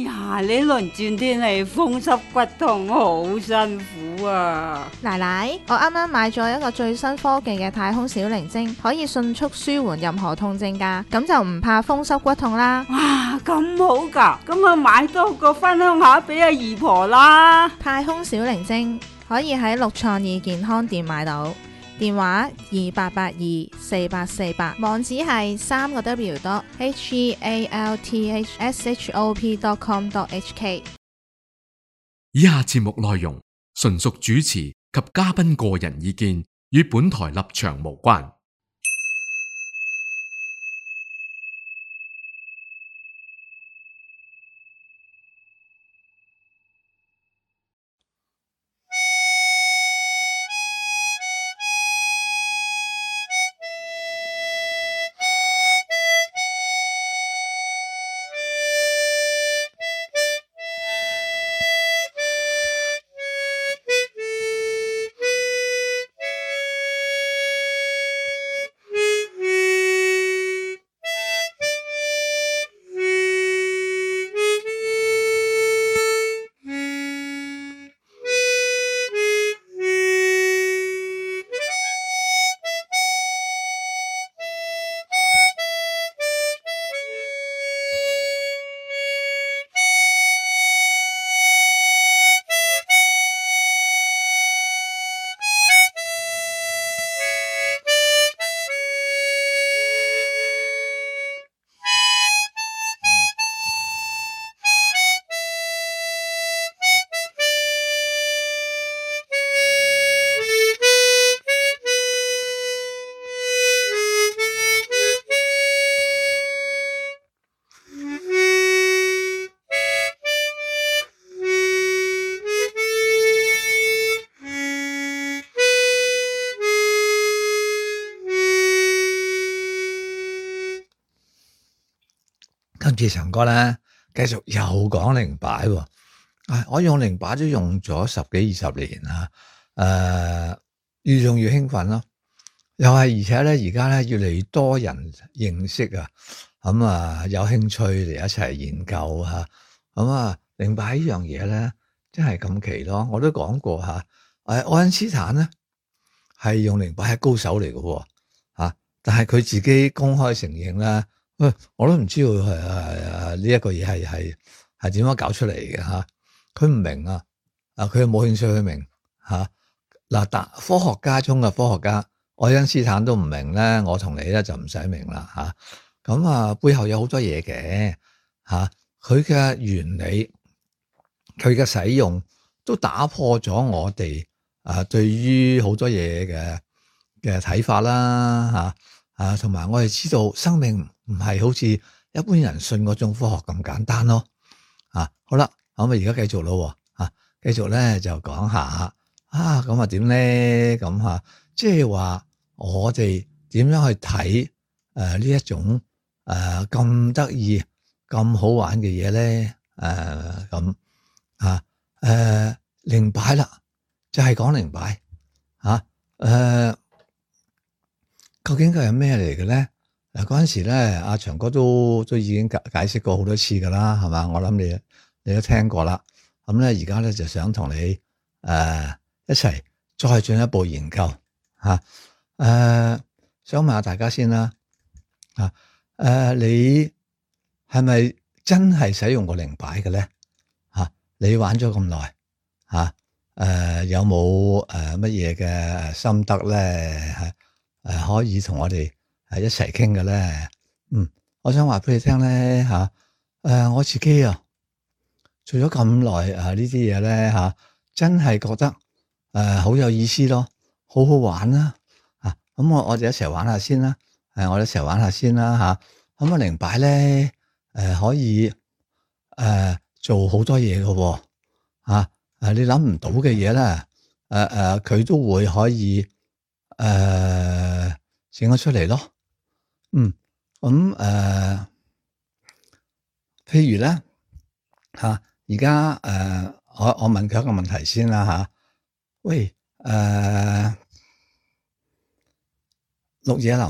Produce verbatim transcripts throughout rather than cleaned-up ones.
呀，呢輪轉天氣風濕骨痛好辛苦啊！奶奶，我啱啱買咗一個最新科技嘅太空小靈精，可以迅速舒緩任何痛症㗎，咁就唔怕風濕骨痛啦。哇，咁好㗎，咁啊買多個分享下俾阿姨婆啦。太空小靈精可以喺六創意健康店買到，電話二八八二四八四八，網址係三個 W dot H E A L T H S H O P dot com dot H K。以下節目內容純屬主持及嘉賓個人意見，與本台立場無關。今次長哥咧，繼續又講靈擺喎。啊，我用靈擺都用咗十幾二十年啦。誒、呃，越用越興奮咯。又係而且咧，而家咧越嚟越多人認識啊。咁、嗯、啊，有興趣嚟一齊研究嚇。咁啊，靈擺呢樣嘢咧，真係咁奇咯。我都講過嚇。誒、啊，愛因斯坦咧係用靈擺係高手嚟嘅喎。嚇，但係佢自己公開承認啦。喂，我都唔知道係係呢一個嘢係係係點樣搞出嚟嘅嚇，佢唔明啊，啊佢冇興趣去明嚇。嗱，但科學家中嘅科學家，愛因斯坦都唔明咧，我同你咧就唔使明啦嚇。咁啊，背後有好多嘢嘅嚇，佢嘅原理，佢嘅使用都打破咗我哋啊對於好多嘢嘅嘅睇法啦嚇。啊，同埋我哋知道生命唔係好似一般人信嗰種科學咁簡單咯。啊，好啦，咁啊而家繼續咯，啊，繼續咧就講下啊，咁啊點咧咁吓，即係話我哋點樣去睇誒呢一種誒咁得意、咁好玩嘅嘢咧？誒咁啊誒靈擺啦，就係講靈擺吓誒。究竟佢係咩嚟嘅咧？嗱，嗰陣時咧，阿長哥都都已經解解釋過好多次噶啦，係嘛？我諗你你都聽過啦。咁咧，而家咧就想同你誒、呃、一齊再進一步研究吓。誒、呃，想問下大家先啦。啊，誒、呃，你係咪真係使用過靈擺嘅咧？吓、啊，你玩咗咁耐吓，誒、呃，有冇誒乜嘢嘅心得咧？係？誒、呃，可以同我哋誒一齊傾嘅咧，嗯，我想話俾你聽咧吓，誒、啊呃，我自己啊做咗咁耐誒呢啲嘢咧吓，真係覺得誒好、呃、有意思咯，好好玩啦，啊，咁我我哋一齊玩下先啦，誒、啊，我哋一齊玩下先啦吓，咁啊靈擺咧誒可以誒、呃、做好多嘢嘅，吓，誒你諗唔到嘅嘢咧，誒、呃、誒佢都會可以。誒，整咗、呃、出嚟咯，嗯，咁、嗯、誒、呃，譬如咧吓，而家誒，我我問佢一個問題先啦吓、啊，喂，誒、呃，綠野林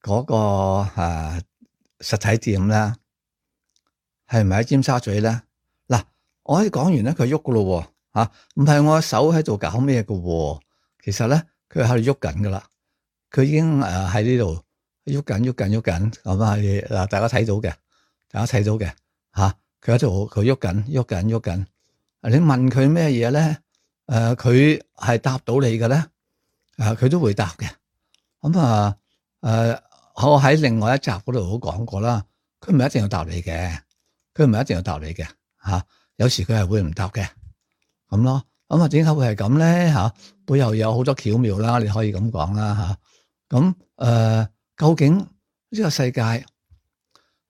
嗰、那個誒、啊、實體店咧，係咪喺尖沙咀咧？嗱，我可以講完咧，佢喐噶咯吓，唔係我手喺度搞咩噶，其實咧佢喺度喐緊噶啦，佢已經誒喺呢度喐緊喐緊喐緊咁啊！嗱，大家睇到嘅，大家睇到嘅吓，佢喺度佢喐緊喐緊喐緊。你問佢咩嘢咧？誒，佢係答到你嘅咧，誒，佢都會答嘅。咁啊，誒，我喺另外一集嗰度都講過啦，佢唔係一定要答你嘅，佢唔係一定要答你嘅吓，有時佢係會唔答嘅，咁咯。咁啊，點解會係咁咧？吓，背後有好多巧妙啦，你可以咁講啦吓。咁誒，究竟呢個世界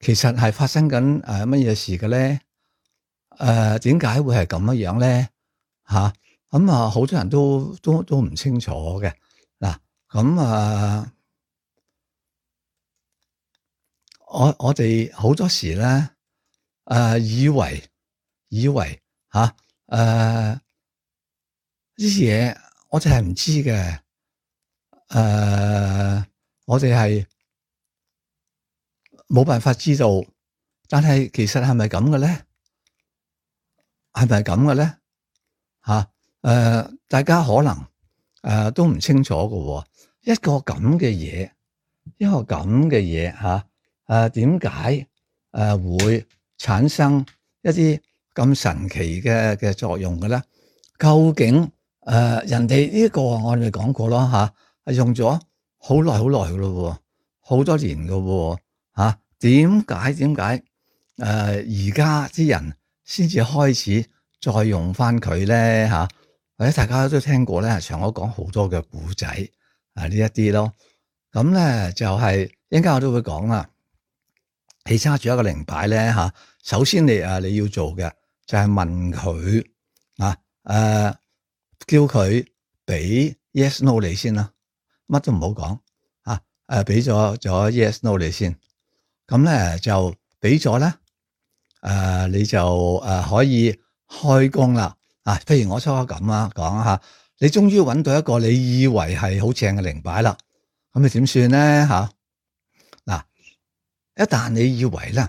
其實係發生緊誒乜嘢事嘅咧？誒，點解會係咁樣樣咧？吓，咁啊，好多人都都都唔清楚嘅。嗱，咁啊，我我哋好多時咧，誒、啊，以為以為吓，誒、啊，呢啲嘢我哋係唔知嘅。誒、啊，我哋係冇辦法知道，但係其實係咪咁嘅咧？係咪咁嘅咧？吓，誒、呃，大家可能誒、呃、都唔清楚嘅，一個咁嘅嘢，一個咁嘅嘢吓，誒，點解誒會產生一啲咁神奇嘅嘅作用嘅咧？究竟誒、呃、人哋呢個我哋講過咯吓，係、啊、用咗好耐好耐嘅咯，好多年嘅吓，點解點解誒而家啲人先至開始再用翻佢咧吓，或者大家都聽過咧，長我講好多嘅古仔啊呢一啲咯。咁咧就係一陣間我都會講啦。你揸住一個靈擺咧吓，首先你啊你要做嘅就係問佢啊誒，叫佢俾 yes no 你先啦，乜都唔好講啊誒，俾咗咗 yes no 你先，咁咧就俾咗咧。誒、呃，你就誒、呃、可以開工啦啊！譬如我初刻咁啊，講下，你終於揾到一個你以為係好正嘅靈擺啦，咁你點算咧吓？嗱、啊，一旦你以為咧呢、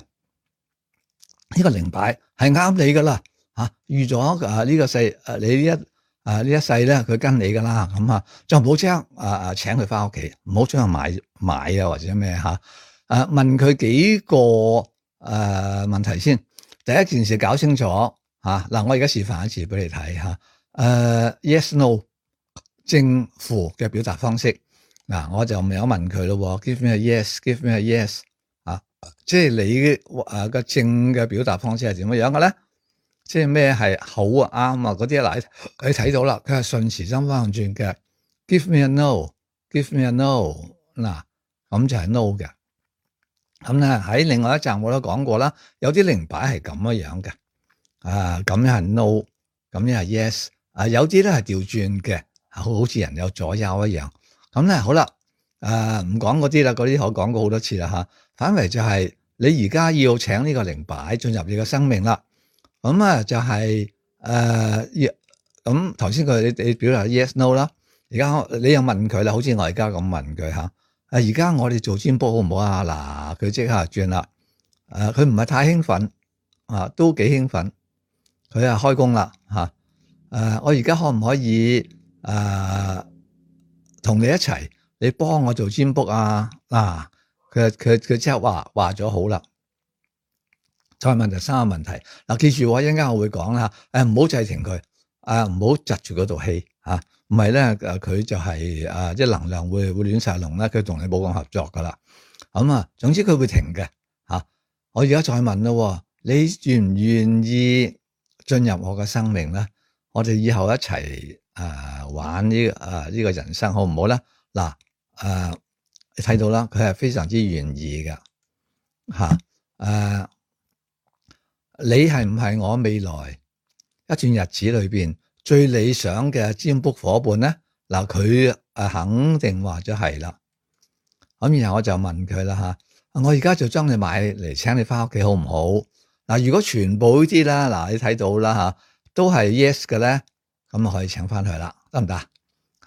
這個靈擺係啱你噶啦吓，預咗誒呢個世誒你呢一誒呢、啊、一世咧佢跟你噶啦，咁啊就唔好即刻誒誒請佢翻屋企，唔好將佢買買啊或者咩吓？誒、啊、問佢幾個。誒、呃，問題先，第一件事搞清楚吓。嗱、啊，我而家示範一次俾你睇吓。誒、啊、，yes no 正負嘅表達方式。嗱、啊，我就未有問佢咯。Give me a yes，give me a yes。啊，即係你誒個正嘅表達方式係點樣樣嘅咧？即係咩係好啊啱啊嗰啲嗱，你睇到啦，佢係順時針翻轉嘅。Give me a no，give me a no。嗱、啊，咁就係 no 嘅。咁咧喺另外一集我都講過啦，有啲靈擺係咁樣樣嘅，啊咁樣係 no，咁樣係 yes，啊有啲咧係調轉嘅，好似人有左右一樣。咁咧好啦，誒唔講嗰啲啦，嗰啲我講過好多次啦吓。反為就係你而家要請呢個靈擺進入你嘅生命啦。咁啊就係誒咁頭先佢你你表達 yes no 啦，而家你又問佢啦，好似我而家咁問佢吓。啊！而家我哋做占卜好唔好啊？嗱，佢即刻轉啦。誒，佢唔係太興奮，啊，都幾興奮。佢啊開工啦，吓。誒，我而家可唔可以誒同你一齊？你幫我做占卜啊？嗱，佢佢佢即刻話話咗好啦。再問第三個問題。嗱，記住我一陣間我會講啦。誒，唔好制停佢，誒，唔好窒住嗰度氣，吓。唔係咧，誒佢就係誒，即係能量會會亂晒龍咧，佢同你冇咁合作噶啦。咁啊，總之佢會停嘅吓。我而家再問咯，你願唔願意進入我嘅生命咧？我哋以後一齊誒玩呢誒呢個人生好唔好咧？嗱誒，你睇到啦，佢係非常之願意嘅吓。誒，你係唔係我未來一段日子裏邊最理想嘅占卜夥伴咧？嗱，佢誒肯定話咗係啦。咁然後我就問佢啦吓，我而家就將你買嚟請你翻屋企好唔好？嗱，如果全部呢啲啦，嗱你睇到啦吓，都係 yes 嘅咧，咁啊可以請翻佢啦，得唔得？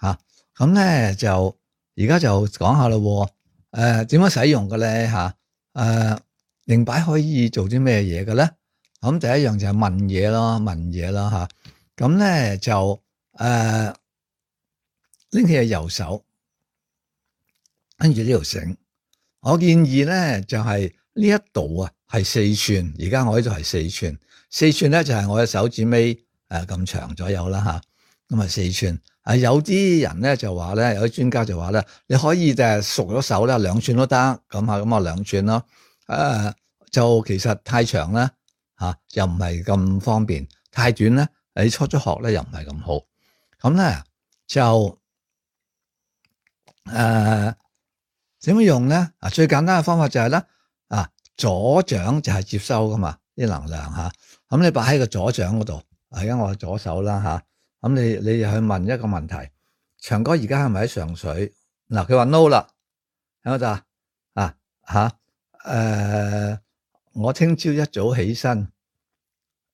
吓，咁咧就而家就講下咯。誒，點樣使用嘅咧吓？誒，靈擺可以做啲咩嘢嘅咧？咁第一樣就係問嘢咯，問嘢咯吓。咁咧就誒拎起隻右手，跟住呢條繩。我建議咧就係呢一度啊係四寸，而家我呢度係四寸，四寸咧就係我嘅手指尾誒咁長左右啦吓。咁啊四寸。啊有啲人咧就話咧，有啲專家就話咧，你可以就係熟咗手咧兩寸都得，咁啊咁啊兩寸咯。誒就其實太長咧嚇又唔係咁方便，太短咧你初初學咧又唔係咁好。咁咧就誒點樣用咧？啊最簡單嘅方法就係咧啊左掌就係接收噶嘛啲能量嚇，咁你擺喺個左掌嗰度，而家我左手啦嚇。咁你你去問一個問題，長哥而家係咪喺上水？嗱，佢話 no 啦，係咪就啊吓？誒，我聽朝一早起身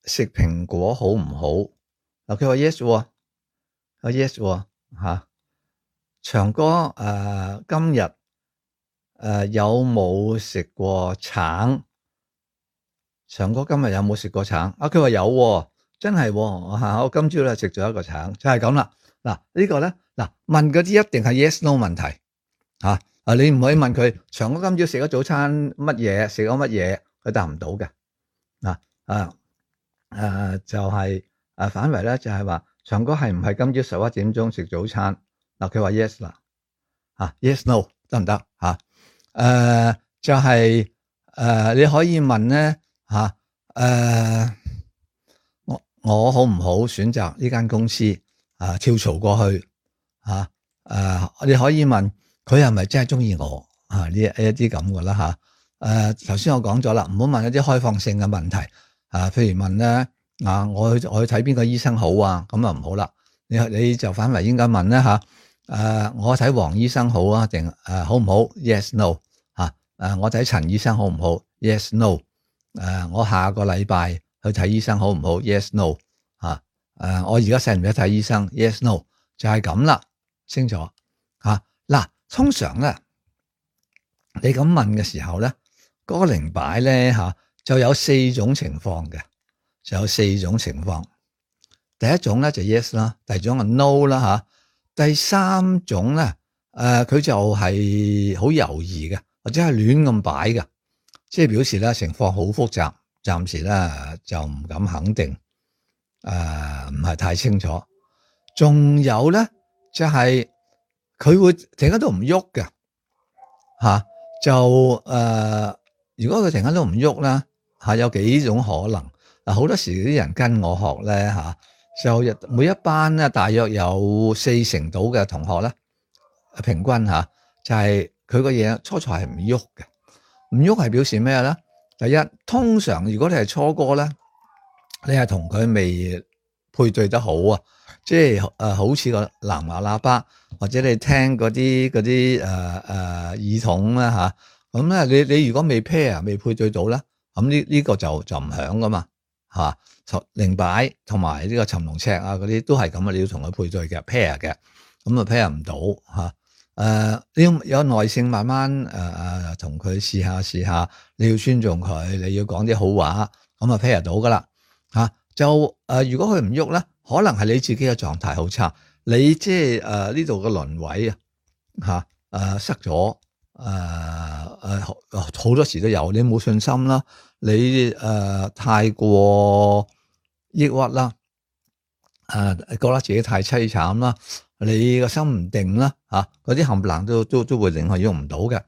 食蘋果好唔好？嗱，佢話 yes 喎，啊 yes 喎吓。長哥誒、呃，今日誒、呃、有冇食過橙？長哥今日有冇食過橙？啊，佢話有喎。真係喎嚇！我今朝咧食咗一個橙，就係咁啦。嗱呢個咧嗱問嗰啲一定係 yes no 問題嚇啊！你唔可以問佢長哥今朝食咗早餐乜嘢，食咗乜嘢，佢答唔到嘅嗱啊誒就係誒反為咧就係話長哥係唔係今朝十一點鐘食早餐嗱？佢話 yes 啦嚇 yes no 得唔得嚇？誒就係誒你可以問咧嚇誒。我好唔好選擇呢間公司啊？跳槽過去啊？誒，你可以問佢係咪真係中意我啊？呢一啲咁嘅啦吓。誒，頭先我講咗啦，唔好問一啲開放性嘅問題啊。譬如問咧啊，我去我去睇邊個醫生好啊？咁啊唔好啦。你你就反為應該問咧吓。誒，我睇黃醫生好啊？定誒好唔好 ？Yes no 吓。誒，我睇陳醫生好唔好 ？Yes no。誒，我下個禮拜去睇醫生好唔好 ？Yes no 嚇誒，我而家使唔使睇醫生 ？Yes no 就係咁啦，清楚嚇嗱。通常咧，你咁問嘅時候咧，嗰個靈擺咧嚇就有四種情況嘅，就有四種情況。第一種咧就 yes 啦，第二種係 no 啦嚇，第三種咧誒佢就係好猶豫嘅，或者係亂咁擺嘅，即係表示咧情況好複雜。暫時咧就唔敢肯定，誒唔係太清楚。仲有咧就係、是、佢會停喺度唔喐嘅嚇，就誒、呃、如果佢停喺度唔喐咧嚇，有幾種可能。嗱，好多時啲人跟我學咧嚇，就每一班咧大約有四成到嘅同學咧，平均嚇就係佢個嘢初初係唔喐嘅，唔喐係表示咩咧？第一，通常如果你係初哥咧，你係同佢未配對得好啊，即係誒、呃、好似個藍牙喇叭，或者你聽嗰啲嗰啲誒誒耳筒啦吓，咁、啊、咧你你如果未 pair 未配對到咧，咁呢呢個就就唔響噶嘛吓，靈擺同埋呢個尋龍尺啊嗰啲都係咁啊，你要同佢配對嘅 pair 嘅，咁啊 pair 唔到吓。誒、呃，你要有耐性，慢慢誒誒同佢試下試下，你要尊重佢，你要講啲好話，咁啊 pair 到噶啦吓。就誒、呃，如果佢唔喐咧，可能係你自己嘅狀態好差，你即係誒呢度嘅輪位啊吓誒塞咗誒誒好多時都有，你冇信心啦，你誒、呃、太過抑鬱啦，誒、呃、覺得自己太淒慘啦。你個心唔定啦，吓嗰啲冚唪唥都都都會令佢喐唔到嘅。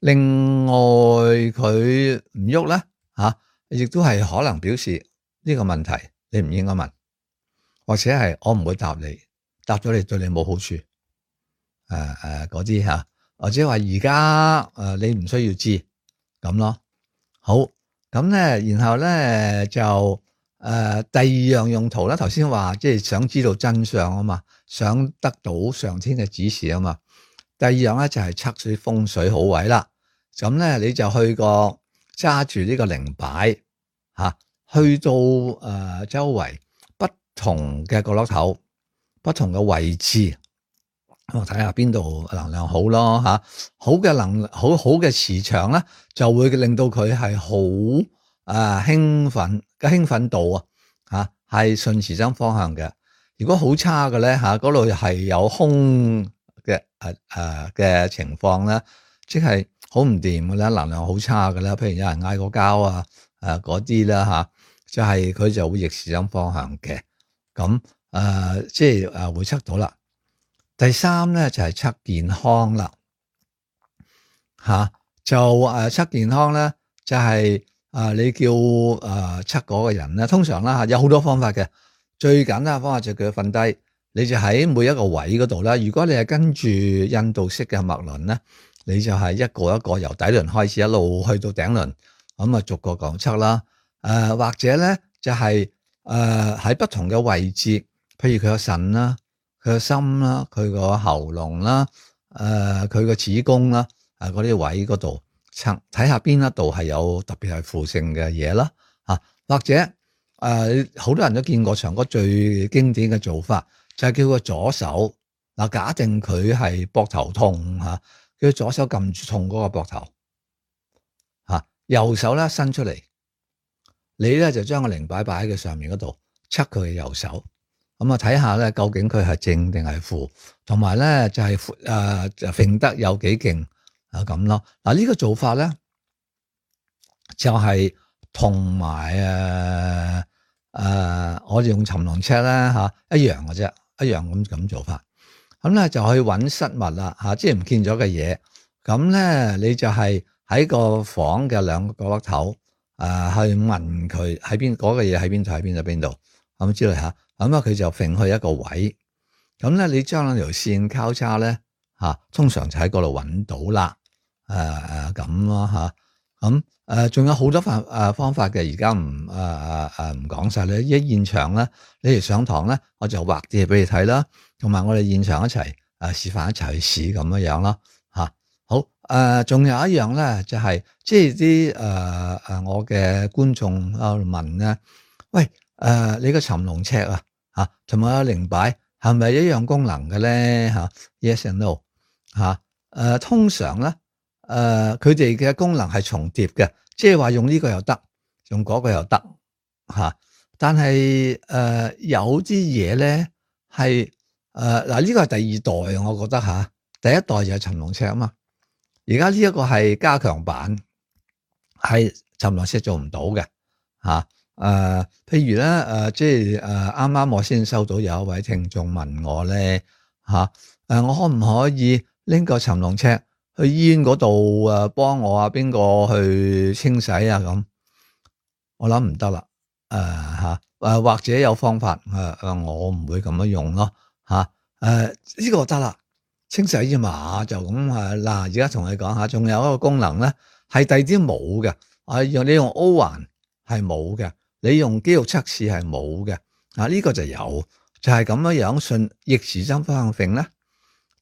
另外佢唔喐咧，吓亦都係可能表示呢個問題你唔應該問，或者係我唔會答你，答咗你對你冇好處。誒誒嗰啲吓，或者話而家誒你唔需要知咁咯。好，咁咧，然後咧就誒、呃、第二樣用途咧，頭先話即係想知道真相啊嘛。想得到上天嘅指示啊嘛，第二樣咧就係測水風水好位啦。咁咧你就去個揸住呢個靈擺吓，去到誒、呃、周圍不同嘅角落頭、不同嘅位置，我睇下邊度能量好咯吓，好嘅能好好嘅磁場咧，就會令到佢係好啊興奮嘅興奮度啊吓，係順時針方向嘅。如果好差嘅咧吓，嗰度係有空嘅誒誒嘅情況咧，即係好唔掂嘅咧，能量好差嘅咧，譬如有人嗌過交啊誒嗰啲啦吓，就係、是、佢就會逆時針方向嘅。咁誒、呃、即係誒會測到啦。第三咧就係測健康啦，吓、啊、就誒測健康咧就係、是、啊你叫誒測嗰個人咧，通常啦吓有好多方法嘅，最簡單嘅方法就叫佢瞓低，你就喺每一個位嗰度啦。如果你係跟住印度式嘅脈輪咧，你就係一個一個由底輪開始一路去到頂輪，咁啊逐個講測啦。誒、呃、或者咧就係誒喺不同嘅位置，譬如佢個腎啦。佢個心啦，佢個喉嚨啦，誒佢個子宮啦，誒嗰啲位嗰度測睇下邊一度係有特別係負性嘅嘢啦，嚇或者誒好、呃、多人都見過長哥最經典嘅做法，就係、是、叫個左手嗱，假定佢係膊頭痛嚇，叫左手撳住痛嗰個膊頭嚇，右手咧伸出嚟，你咧就將個靈擺擺喺佢上面嗰度，測佢嘅右手。咁啊，睇下咧，究竟佢係正定係負，同埋咧就係誒就揈得有幾勁啊咁咯。嗱、這、呢個做法咧就係同埋誒誒，我哋用尋龍尺咧嚇一樣嘅啫，一樣咁咁做法。咁咧就去揾失物啦嚇，即係唔見咗嘅嘢。咁咧你就係喺個房嘅兩個角落頭誒去問佢喺邊嗰個嘢喺邊度喺邊度邊度咁之類嚇。咁啊，佢就揈去一個位，咁咧你將兩條線交叉咧嚇，通常就喺嗰度揾到啦，誒誒咁咯嚇，咁誒仲有好多方誒方法嘅，而家唔誒誒誒唔講晒咧。一現場咧，你哋上堂咧，我就畫啲嘢俾你睇啦，同埋我哋現場一齊誒示範一齊去試咁樣樣咯嚇。好誒，仲、呃、有一樣咧，就係、是、即係啲誒誒我嘅觀眾啊問咧，喂誒、呃、你個尋龍尺啊？吓，同埋個靈擺係咪一樣功能嘅咧？吓 ，yes and no，吓，誒，通常咧，誒，佢哋嘅功能係重疊嘅，即係話用呢個又得，用嗰個又得，吓。但係誒，有啲嘢咧係誒，嗱呢個係第二代，我覺得吓，第一代就係尋龍尺啊嘛，而家呢一個係加強版，係尋龍尺做唔到嘅，吓。誒、呃，譬如咧，誒、呃，即係誒，啱、呃、啱我先收到有一位聽眾問我咧，吓、啊，誒、呃，我可唔可以拎個尋龍尺去醫院嗰度誒，幫我啊邊個去清洗啊咁？我諗唔得啦，誒吓，誒或者有方法，誒、呃、誒，我唔會咁樣用咯，吓、啊，誒、呃、呢、這個得啦，清洗啫嘛，就咁誒，嗱，而家同你講下，仲有一個功能咧，係第啲冇嘅，啊，用你用 O 環係冇嘅。你用肌肉測試係冇嘅，啊呢、這個就有，就係咁樣樣順逆時針方向揈咧，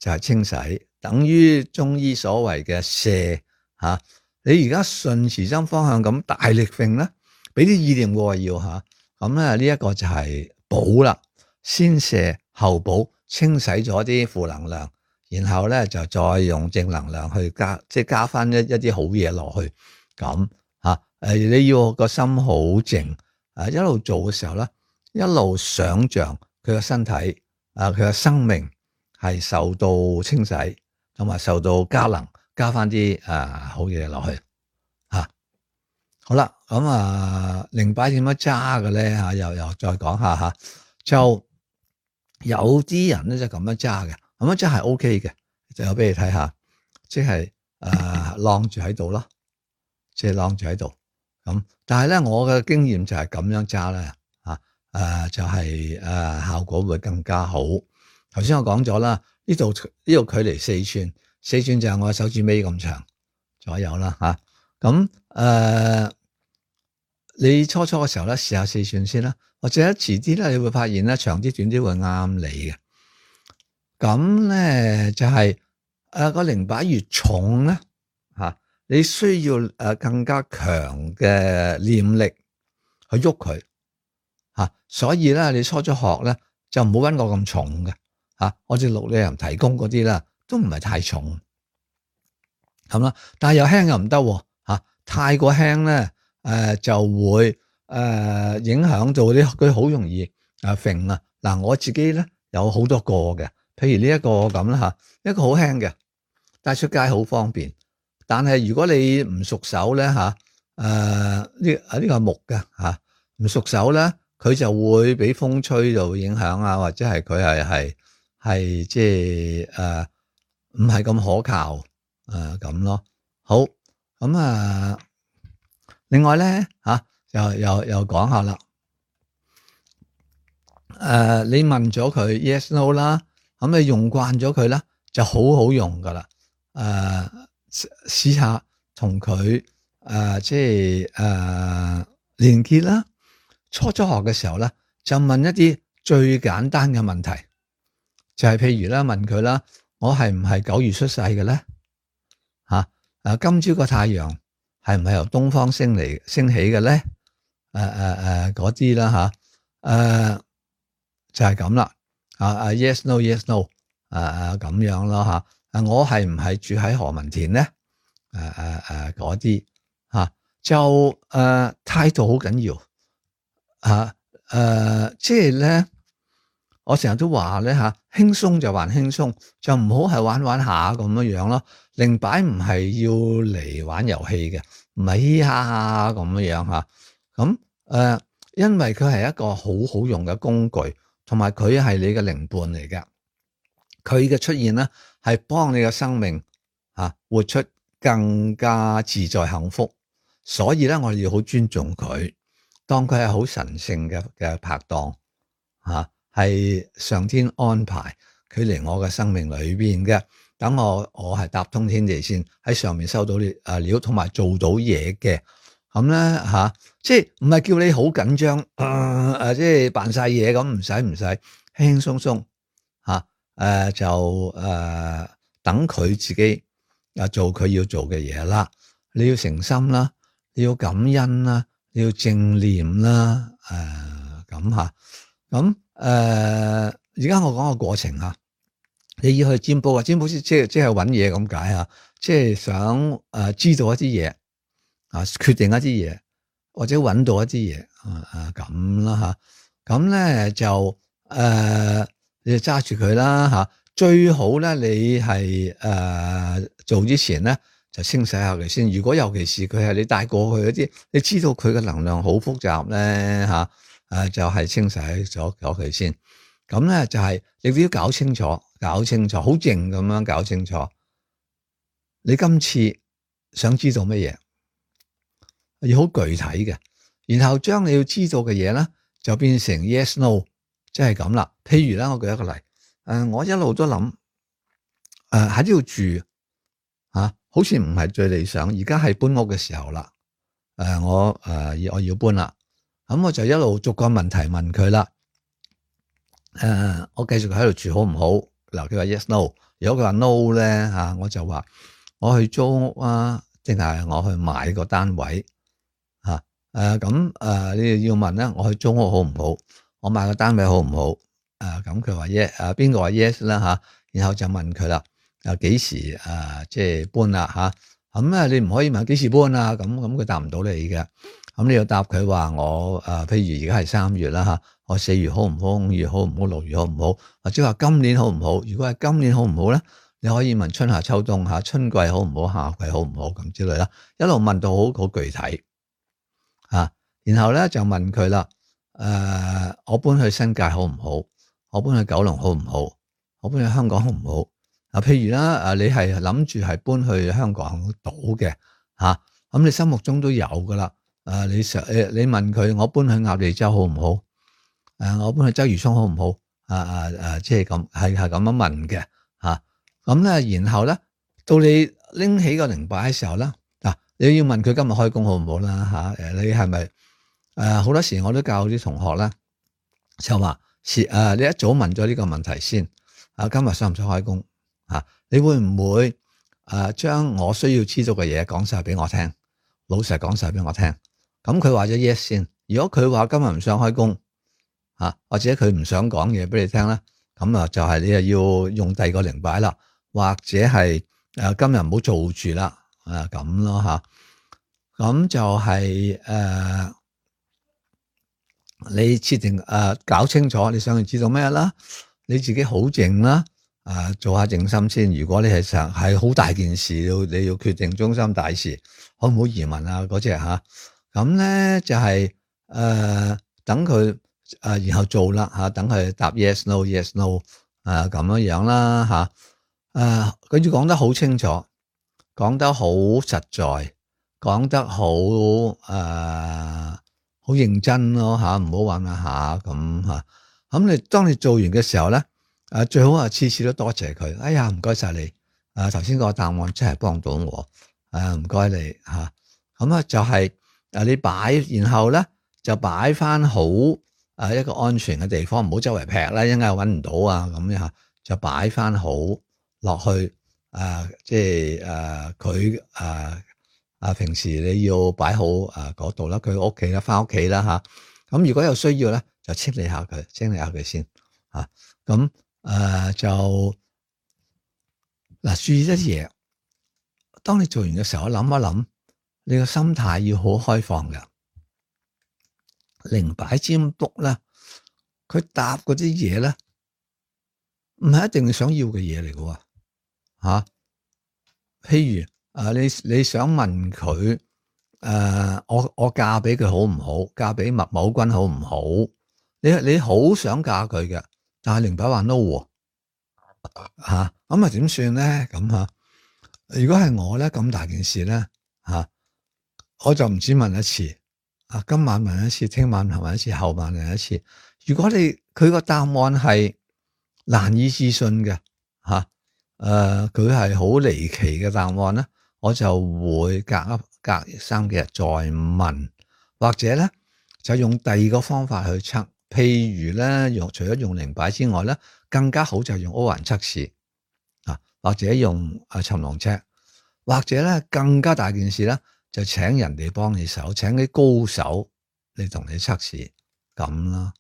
就係、是、清洗，等於中醫所謂嘅瀉吓。你而家順時針方向咁大力揈咧，俾啲意念我要吓，咁咧呢一個就係補啦，先瀉後補，清洗咗啲負能量，然後咧就再用正能量去加，即係加翻一一啲好嘢落去，咁吓誒你要個心好靜。啊！一路做嘅時候咧，一路想像佢個身體啊，佢個生命係受到清洗，同埋受到加能，加翻啲啊好嘢落去嚇。好啦，咁啊靈擺點樣揸嘅咧嚇？又又再講下嚇，就有啲人咧就咁樣揸嘅，咁樣真係 O K 嘅，就有俾你睇下，即係啊晾住喺度咯，即係晾住喺度。咁，但係咧，我嘅經驗就係咁樣揸咧，啊，誒，就係、是、誒、啊，效果會更加好。頭先我講咗啦，呢度呢度距離四寸，四寸就係我手指尾咁長左右啦，吓、啊。咁、啊、誒，你初初嘅時候咧，試下四寸先啦，或者遲啲咧，你會發現咧，長啲短啲會啱你嘅。咁咧就係、是、誒個靈擺越重咧，吓、啊。你需要誒更加強嘅念力去喐佢吓，所以咧你初初學咧就唔好搵我咁重嘅吓，我哋綠里人提供嗰啲啦，都唔係太重，咁啦。但係又輕又唔得吓，太過輕咧，誒、呃、就會誒、呃、影響到啲佢好容易誒揈啊。嗱，我自己咧有好多個嘅，譬如呢一個咁啦吓，一個好輕嘅，帶出街好方便。但係如果你唔熟手咧吓，誒呢啊呢個係木嘅吓，唔熟手咧，佢就會俾風吹就會影響啊，或者係佢係係係即係誒唔係咁可靠誒咁、呃、咯。好，咁啊，另外咧吓又又又講下啦。誒、呃，你問咗佢 yes no 啦，咁你用慣咗佢啦，就好好用噶啦。誒、呃，試下同佢誒即係誒連結啦。初初學嘅時候咧，就問一啲最簡單嘅問題，就係、是、譬如啦，問佢啦，我係唔係九月出世嘅咧？吓、啊，誒，今朝個太陽係唔係由東方升嚟升起嘅咧？誒誒誒，嗰啲啦吓，誒、啊、就係咁啦。啊啊 ，yes no yes no，誒誒咁樣咯吓。誒，我係唔係住喺何文田咧？誒誒誒，嗰啲吓就誒態、呃、度好緊要。吓，誒、呃，即係咧，我成日都話咧吓，輕鬆就還輕鬆，就唔好係玩玩下咁樣樣咯。靈擺唔係要嚟玩遊戲嘅，唔係嘻哈哈咁樣樣吓。咁誒、呃，因為佢係一個好好用嘅工具，同埋佢係你嘅靈伴嚟嘅。佢嘅出現咧，係幫你嘅生命吓活出更加自在幸福。所以咧，我哋要好尊重佢。當佢係好神聖嘅嘅拍檔吓，係、啊、上天安排佢嚟我嘅生命裏邊嘅，等我我係搭通天地線喺上面收到啲誒料，同埋做到嘢嘅，咁咧吓，即係唔係叫你好緊張誒誒，即係扮晒嘢咁，唔使唔使，輕輕鬆鬆吓，誒、啊、就誒、啊、等佢自己啊做佢要做嘅嘢啦，你要誠心啦，你要感恩啦。你要正念啦，誒咁吓，咁誒而家我講個過程吓，你要去占卜啊，占卜師即係即係搵嘢咁解啊，即係想誒、呃、知道一啲嘢啊，決定一啲嘢，或者搵到一啲嘢啊啊咁啦吓，咁咧就誒、呃、你就揸住佢啦吓，最好咧你係誒、呃、做之前咧。就清洗下佢先。如果尤其是佢係你帶過去嗰啲，你知道佢嘅能量好複雜咧吓，誒、啊、就係、是、清洗咗咗佢先。咁咧就係、是、你都要搞清楚，搞清楚，好靜咁樣搞清楚。你今次想知道乜嘢，要好具體嘅，然後將你要知道嘅嘢咧，就變成 yes no，即係咁啦。譬如咧，我舉一個例，誒、呃，我一路都諗，誒喺呢度住吓。啊好似唔係最理想，而家係搬屋嘅時候啦。誒、呃，我誒、呃、我要搬啦，咁我就一路逐個問題問佢啦。誒、呃，我繼續喺度住好唔好？嗱，佢話 yes no。如果佢話 no 咧吓，我就話我去租屋啊，定係我去買個單位吓？誒、啊，咁、呃、誒、呃，你哋要問咧，我去租屋好唔好？我買個單位好唔好？誒、呃，咁佢話 yes，誒，邊個話 yes 啦吓？然後就問佢啦。啊，幾時誒，即係搬啦吓？咁啊，你唔可以問幾時搬啊？咁咁佢答唔到你嘅。咁你要答佢話我誒，譬如而家係三月啦吓，我四月好唔好？五月好唔好？六月好唔好？或者話今年好唔好？如果係今年好唔好咧，你可以問春夏秋冬吓，春季好唔好？夏季好唔好？咁之類啦，一路問到好好具體啊。然後咧就問佢啦，誒、呃，我搬去新界好唔好？我搬去九龍好唔好？我搬去香港好唔好？啊，譬如啦，誒，你係諗住係搬去香港島嘅吓，咁你心目中都有噶啦。誒，你想誒，你問佢，我搬去鴨脷洲好唔好？誒，我搬去鰂魚涌好唔好？啊啊啊，即係咁，係係咁樣問嘅吓。咁咧，然後咧，到你拎起個靈擺嘅時候咧，嗱，你要問佢今日開工好唔好啦吓。誒，你係咪誒好多時我都教啲同學咧，就話誒，你一早問咗呢個問題先。啊，今日想唔想開工？啊！你會唔會誒將我需要知道嘅嘢講晒俾我聽，老實講晒俾我聽？咁佢話咗 yes 先。如果佢話今日唔想開工，啊或者佢唔想講嘢俾你聽咧，咁啊就係你又要用第二個靈擺啦，或者係誒今日唔好做住啦，啊咁咯吓，咁就係、是、誒、呃、你設定誒、呃、搞清楚你想要知道咩啦，你自己好靜啦，啊做下靜心先。如果你係想係好大件事，要你要決定終身大事，好唔好移民啊嗰隻吓，咁咧就係、是、誒、呃、等佢。誒、呃，然後做啦吓，等佢答 yes no yes no，誒、呃、咁樣樣啦吓，誒、呃，佢要講得好清楚，講得好實在，講得好誒，好、呃、認真咯吓，唔好玩下下咁吓。咁你當你做完嘅時候咧，誒最好啊次次都多謝佢，哎呀唔該晒你，誒頭先個答案真係幫到我，誒唔該你吓。咁啊就係誒你擺，然後咧就擺翻好。誒一個安全嘅地方，唔好周圍劈啦，一陣間揾唔到啊咁樣就擺翻好落去。誒、呃，即係誒佢誒誒平時你要擺好誒嗰度啦，佢屋企啦，翻屋企啦嚇。咁如果有需要咧，就清理下佢，清理下佢先嚇。咁、啊、誒、呃、就嗱、啊，注意一啲嘢。當你做完嘅時候，諗一諗，你個心態要好開放嘅。靈擺占卜咧，佢答嗰啲嘢咧，唔係一定你想要嘅嘢嚟嘅喎，吓。譬如啊，你你想問佢，誒、呃，我我嫁俾佢好唔好？嫁俾麥某君好唔好？你你好想嫁佢嘅，但係靈擺話 no，吓，咁啊點算咧？咁吓，如果係我咧，咁大件事咧，吓，我就唔止問一次。啊！今晚問一次，聽晚問一次，後晚問一次。如果你佢個答案係難以置信嘅，吓、啊，誒、呃，佢係好離奇嘅答案咧，我就會隔一隔三幾日再問，或者咧就用第二個方法去測。譬如咧，用除咗用靈擺之外咧，更加好就係用歐環測試啊，或者用啊尋龍尺，或者咧更加大件事咧。就請人哋幫你手，請啲高手嚟同你測試咁啦。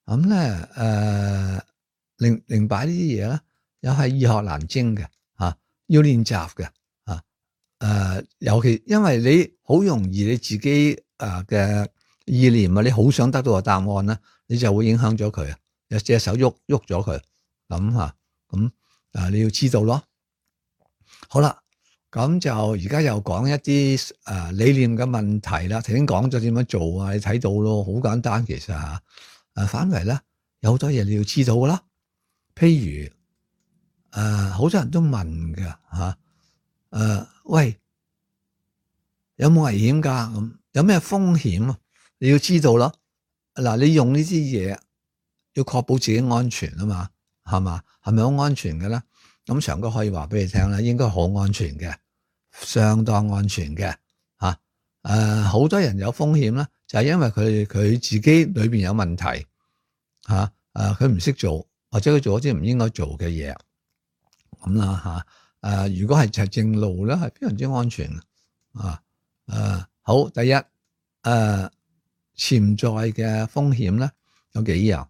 咁咧，誒，靈靈擺呢啲嘢咧，又係易學難精嘅吓，要練習嘅吓。誒，尤其因為你好容易你自己誒嘅意念啊，你好想得到個答案咧，你就會影響咗佢啊，有隻手喐喐咗佢咁吓，咁誒你要知道咯。好啦。咁就而家又講一啲誒理念嘅問題啦。頭先講咗點樣做啊，你睇到咯，好簡單其實吓。誒，反為咧有好多嘢你要知道噶啦。譬如誒，好多人都問嘅吓，誒，喂，有冇危險噶？咁有咩風險啊？你要知道咯。嗱，你用呢啲嘢要確保自己安全啊嘛，係嘛？係咪好安全嘅咧？咁長哥可以話俾你聽啦，應該好安全嘅，相當安全嘅吓。誒、啊，好多人有風險啦，就係、是、因為佢佢自己裏邊有問題吓。誒，佢唔識做，或者佢做咗啲唔應該做嘅嘢咁啦吓。誒、啊，如果係就正路咧，係非常之安全啊。誒、啊，好，第一誒，潛在嘅風險咧有幾樣，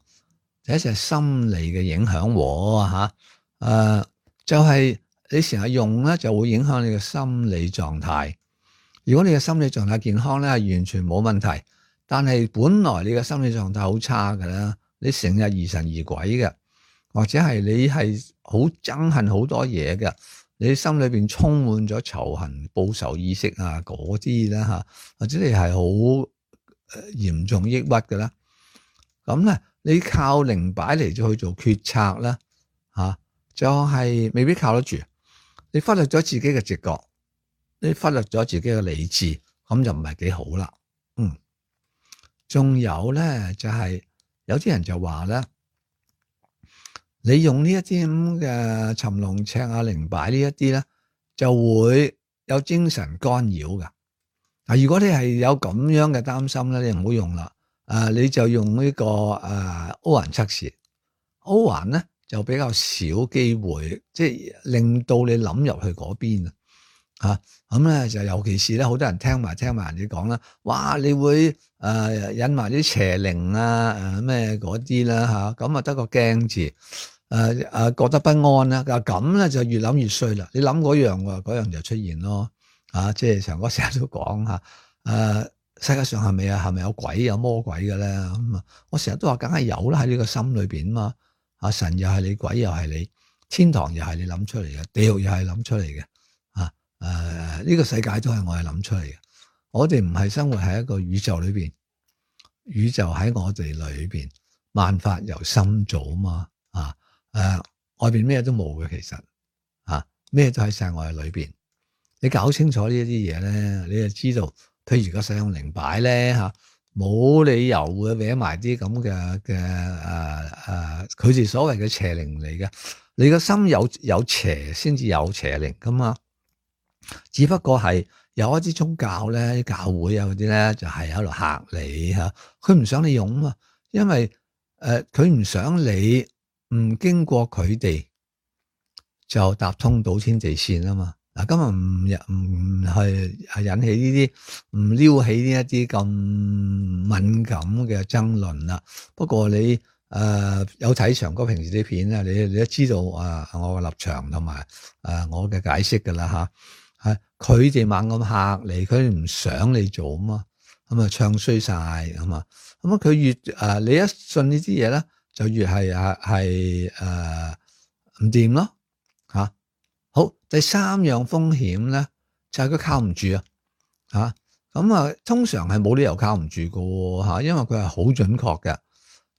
第一就係心理嘅影響喎吓。誒、啊。就係你成日用咧，就會影響你嘅心理狀態。如果你嘅心理狀態健康咧，係完全冇問題。但係本來你嘅心理狀態好差嘅啦，你成日疑神疑鬼嘅，或者係你係好憎恨好多嘢嘅，你心裏邊充滿咗仇恨、報仇意識啊嗰啲啦吓，或者你係好嚴重抑鬱嘅啦，咁咧你靠靈擺嚟咗去做決策啦吓。就係未必靠得住，你忽略咗自己嘅直覺，你忽略咗自己嘅理智，咁就唔係幾好啦。嗯，仲有咧就係、是、有啲人就話咧，你用呢一啲咁嘅尋龍尺啊、靈擺呢一啲咧，就會有精神干擾噶。嗱，如果你係有咁樣嘅擔心咧，你唔好用啦。誒，你就用呢、這個誒歐環測試，歐環咧。就比較少機會，即係令到你諗入去嗰邊啊！嚇。咁咧就尤其是咧，好多人聽埋聽埋人哋講啦，哇！你會誒、呃、引埋啲邪靈啊誒咩嗰啲啦嚇，咁啊得個驚字，誒、呃、誒、呃、覺得不安啦，咁咧就越諗越衰啦。你諗嗰樣喎，嗰樣就出現咯。啊，即係長哥成日都講嚇，誒、呃、世界上係咪啊係咪有鬼有魔鬼嘅咧？咁啊，我成日都話梗係有啦，喺呢個心裏邊嘛。啊，神又係你，鬼又係你，天堂又係你諗出嚟嘅，地獄又係諗出嚟嘅。啊誒，呢、這個世界都係我哋諗出嚟嘅。我哋唔係生活喺一個宇宙裏邊，宇宙喺我哋裏邊，萬法由心造嘛。啊誒、呃，外邊咩都冇嘅，其實啊咩都喺晒我哋裏邊。你搞清楚呢一啲嘢咧，你就知道，譬如個使用靈擺咧嚇，冇理由會搲埋啲咁嘅嘅誒誒，佢哋、呃、所謂嘅邪靈嚟嘅。你個心有有邪先至有邪靈噶嘛。只不過係有一啲宗教咧、教會啊嗰啲咧，就係喺度嚇你嚇，佢唔想你用啊嘛，因為誒佢唔想你唔經過佢哋就搭通到天地線啊嘛。嗱，今日唔唔係係引起呢啲唔撩起呢一啲咁敏感嘅爭論啦。不過你誒、呃、有睇長哥平時啲片咧，你你都知道啊，我嘅立場同埋誒我嘅解釋噶啦吓，係佢哋猛咁嚇你，佢哋唔想你做啊嘛，咁啊唱衰晒啊嘛，咁啊佢越誒、呃、你一信呢啲嘢咧，就越係啊係誒唔掂咯吓。好，第三樣風險咧就係、是、佢靠唔住啊，吓咁啊，通常係冇理由靠唔住噶吓，因為佢係好準確嘅，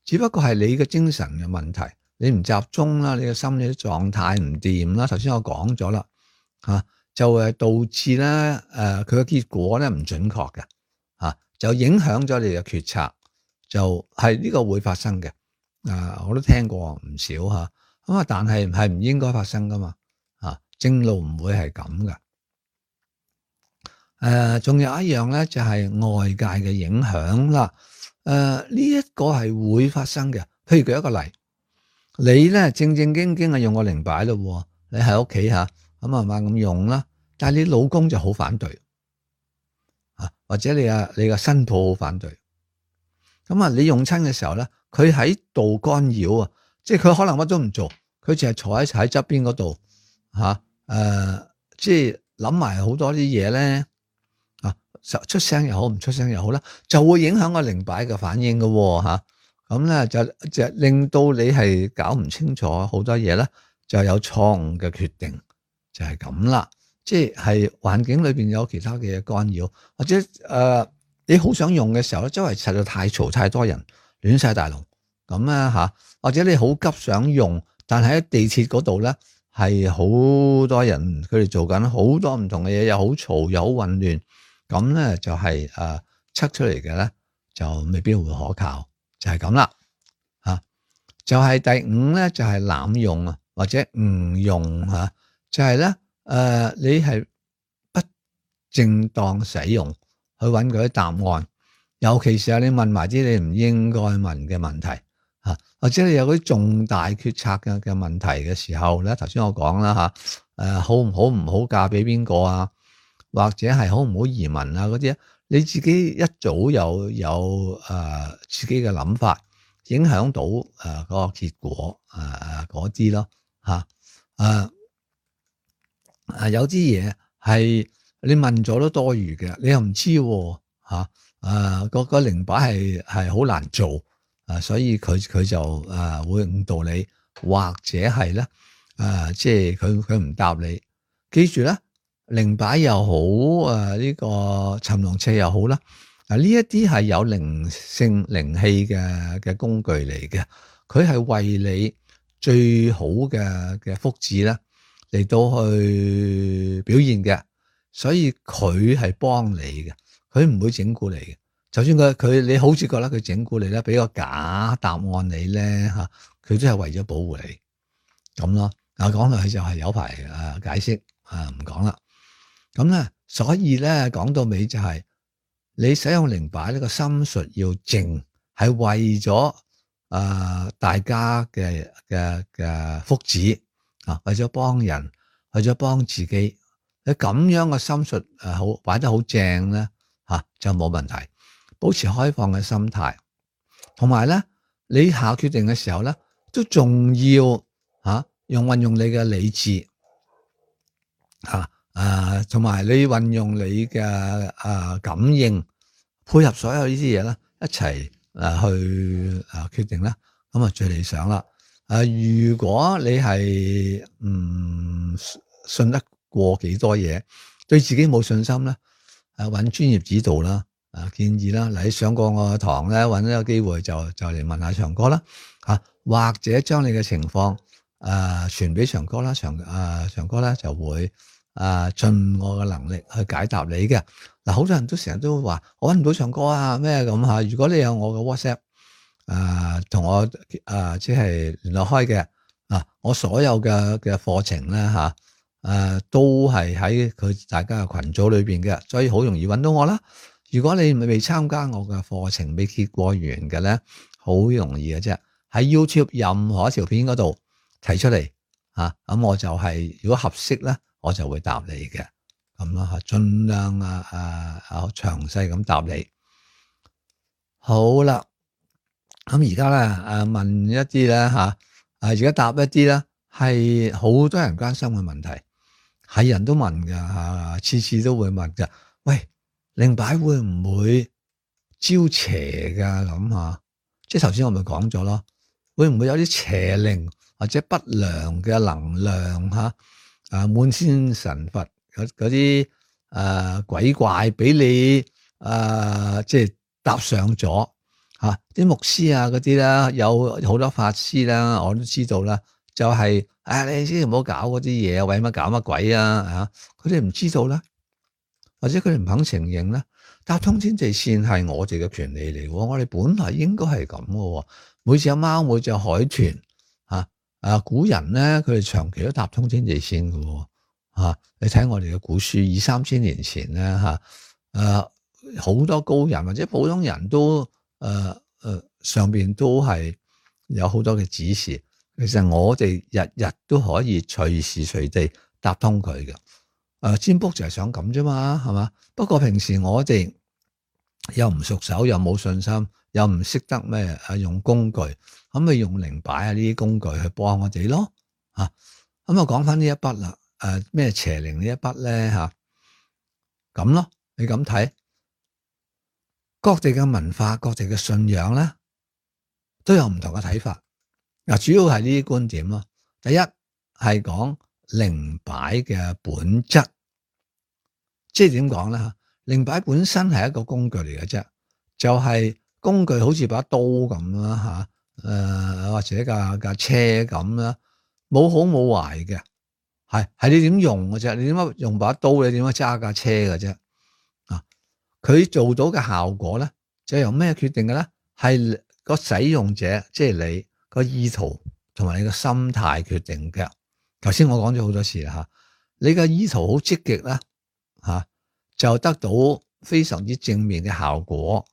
只不過係你嘅精神嘅問題，你唔集中啦，你嘅心理狀態唔掂啦。頭先我講咗啦，吓就係導致咧誒佢嘅結果咧唔準確嘅，吓就影響咗你嘅決策，就係、是、呢個會發生嘅。啊，我都聽過唔少吓，咁啊，但係係唔應該發生噶嘛。正路唔會係咁噶，誒、呃，仲有一樣咧，就係、是、外界嘅影響啦。誒、呃，呢、這、一個係會發生嘅。譬如舉一個例，你咧正正經經係用個靈擺咯，你喺屋企吓，咁啊慢咁用啦。但係你老公就好反對，啊，或者你啊你個新抱好反對。咁啊，你用親嘅時候咧，佢喺度干擾啊，即係佢可能乜都唔做，佢淨係坐喺喺側邊嗰度吓。誒、呃，即係諗埋好多啲嘢咧，啊，出聲又好，唔出聲又好啦，就會影響個靈擺嘅反應嘅吓。咁、啊、咧就就令到你係搞唔清楚好多嘢咧，就有錯誤嘅決定，就係咁啦。即係環境裏邊有其他嘅干擾，或者誒、呃、你好想用嘅時候咧，周圍實在太嘈，太多人，亂晒大龍咁啊吓，或者你好急想用，但係喺地鐵嗰度咧。係好多人，佢哋做緊好多唔同嘅嘢，又好嘈又好混亂，咁咧就係誒測出嚟嘅咧就未必會可靠，就係咁啦吓。就係、是、第五咧就係、是、濫用啊，或者誤用吓，就係咧誒你係不正當使用去揾嗰啲答案，尤其是係你問埋啲你唔應該問嘅問題。吓，或者你有嗰啲重大決策嘅嘅問題嘅時候咧，頭先我講啦吓，誒好唔好唔好嫁俾邊個啊，或者係好唔好移民啊嗰啲，你自己一早有有誒、呃、自己嘅諗法，影響到誒嗰個結果誒嗰啲咯吓，誒誒有啲嘢係你問咗都多餘嘅，你又唔知吓，誒個個靈擺係係好難做。啊，所以佢佢就誒、啊、會誤導你，或者係咧誒，即係佢佢唔答你。記住咧，靈擺又好，誒、啊、呢、這個尋龍尺又好啦。嗱，呢一啲係有靈性靈氣嘅嘅工具嚟嘅，佢係為你最好嘅嘅福祉咧嚟到去表現嘅，所以佢係幫你嘅，佢唔會整蠱你嘅。就算佢佢你好似覺得佢整蠱你咧，俾個假答案你咧吓，佢都係為咗保護你咁咯。啊，講落去就係有排啊解釋啊，唔講啦。咁咧，所以咧講到尾就係、是、你使用靈擺呢個心術要靜，係為咗啊、呃、大家嘅嘅嘅福祉啊，為咗幫人，為咗幫自己你咁樣嘅心術誒好擺得好正咧嚇就冇問題，保持開放嘅心態，同埋咧你下決定嘅時候咧都仲要嚇用運用你嘅理智嚇誒，同埋你運用你嘅誒感應配合所有呢啲嘢咧一齊誒去誒決定啦，咁啊最理想啦。誒，如果你係唔信得過幾多嘢，對自己冇信心咧，誒揾專業指導啦，誒建議啦，嚟上過我嘅堂咧，揾一個機會就就嚟問下長哥啦，嚇或者將你嘅情況誒傳俾長哥啦，長誒長哥咧就會誒盡我嘅能力去解答你嘅。嗱，好多人都成日都話我揾唔到長哥啊咩咁嚇，如果你有我嘅 WhatsApp。誒同、呃、我誒即係聯絡開嘅啊，我所有嘅嘅課程咧嚇誒都係喺佢大家嘅群組裏邊嘅，所以好容易揾到我啦。如果你未參加我嘅課程未結過緣嘅咧，好容易嘅啫，喺 YouTube 任何一條片嗰度提出嚟嚇，咁、啊、我就係、是、如果合適咧，我就會答你嘅咁啦嚇，盡量啊啊啊詳細咁答你。好啦。咁而家咧，誒問一啲咧嚇，誒而家答一啲咧係好多人關心嘅問題，係人都問㗎嚇，次次都會問㗎。喂，靈擺會唔會招邪㗎咁嚇？即係頭先我咪講咗咯，會唔會有啲邪靈或者不良嘅能量嚇？啊，滿天神佛嗰嗰啲誒鬼怪俾你誒、呃、即係搭上咗。吓啲、啊、牧師啊嗰啲啦，有好多法師啦，我都知道啦。就係、是、啊，你先唔好搞嗰啲嘢，為乜搞乜鬼啊？吓，佢哋唔知道啦，或者佢哋唔肯承認啦。搭通天地線係我哋嘅權利嚟，我哋本來應該係咁嘅。每隻貓，每隻海豚，吓啊，古人咧，佢哋長期都搭通天地線嘅。吓、啊，你睇我哋嘅古書，二三千年前咧，吓、啊，誒，好多高人或者普通人都。誒誒、呃呃，上邊都係有好多嘅指示，其實我哋日日都可以隨時隨地搭通佢嘅。誒、呃，占卜就係想咁啫嘛，係嘛？不過平時我哋又唔熟手，又冇信心，又唔識得咩誒用工具，咁咪用靈擺啊呢啲工具去幫我哋咯。吓、啊，咁啊講翻呢一筆啦，誒、呃、咩邪靈呢一筆咧吓，咁、啊、咯，你咁睇。各地嘅文化、各地嘅信仰咧，都有唔同嘅睇法。嗱，主要係呢啲觀點咯。第一係講靈擺嘅本質，即係點講咧？吓，靈擺本身係一個工具嚟嘅啫，就係、是、工具好似把刀咁啦，吓，誒或者架架車咁啦，冇好冇壞嘅，係係你點用嘅啫？你點解用把刀？你點解揸架車嘅啫？佢做到嘅效果咧，就由咩決定嘅咧？係個使用者，即係你個意圖同埋你個心態決定嘅。頭先我講咗好多次啦吓，你個意圖好積極啦吓，就得到非常之正面嘅效果，